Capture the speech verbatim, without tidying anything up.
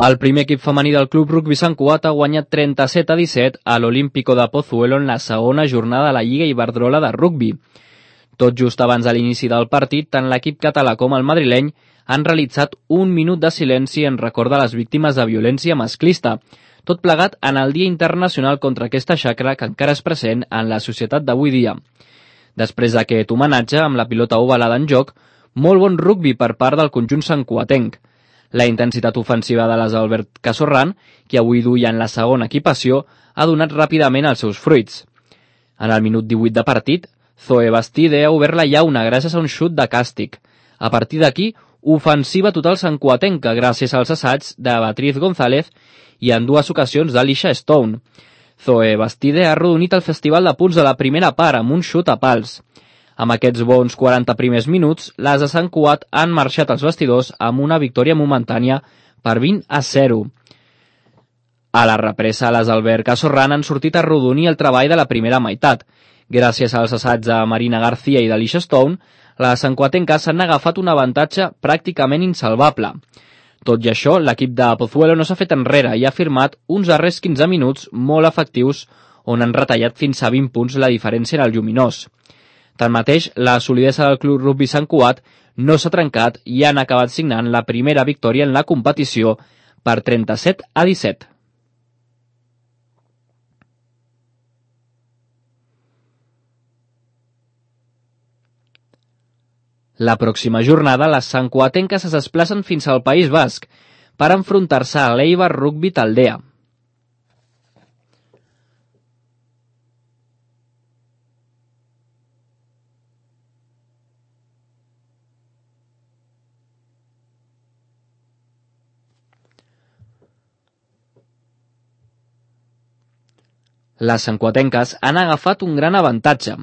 El primer equip femení del Club Rugbi Sant Cugat ha guanyat trenta-set a disset a l'Olímpico de Pozuelo en la segona jornada de la Lliga Iberdrola de Rugbi. Tot just abans de l'inici del partit, tant l'equip català com el madrileny han realitzat un minut de silenci en record de les víctimes de violència masclista, tot plegat en el Dia Internacional contra aquesta xacra que encara és present en la societat d'avui dia. Després d'aquest homenatge, amb la pilota ovalada en joc, molt bon rugbi per part del conjunt santcugatenc. La intensitat ofensiva de les Albert Casorran, que avui duia en la segona equipació, ha donat ràpidament els seus fruits. En el minut divuit de partit, Zoe Bastide ha obert la llauna gràcies a un xut de càstig. A partir d'aquí, ofensiva total santcugatenca gràcies als assaigs de Beatriz González i en dues ocasions d'Alicia Stone. Zoe Bastide ha arrodonit el festival de punts de la primera part amb un xut a pals. Amb aquests bons quaranta primers minuts, les de Sant Cugat han marxat als vestidors amb una victòria momentània per vint a zero. A la represa, les Albert Casorran han sortit a arrodonir el treball de la primera meitat. Gràcies als assaigs de Marina García i d'Alicia Stone, les santcugatenques s'han agafat un avantatge pràcticament insalvable. Tot i això, l'equip de Pozuelo no s'ha fet enrere i ha firmat uns darrers quinze minuts molt efectius on han retallat fins a vint punts la diferència en el lluminós. Tanmateix, la solidesa del Club Rugbi Sant Cugat no s'ha trencat i han acabat signant la primera victòria en la competició per trenta-set a disset. La pròxima jornada, les santcugatenques es desplacen fins al País Basc per enfrontar-se a l'Eibar Rugbi Taldea. Les santcugatenques han agafat un gran avantatge.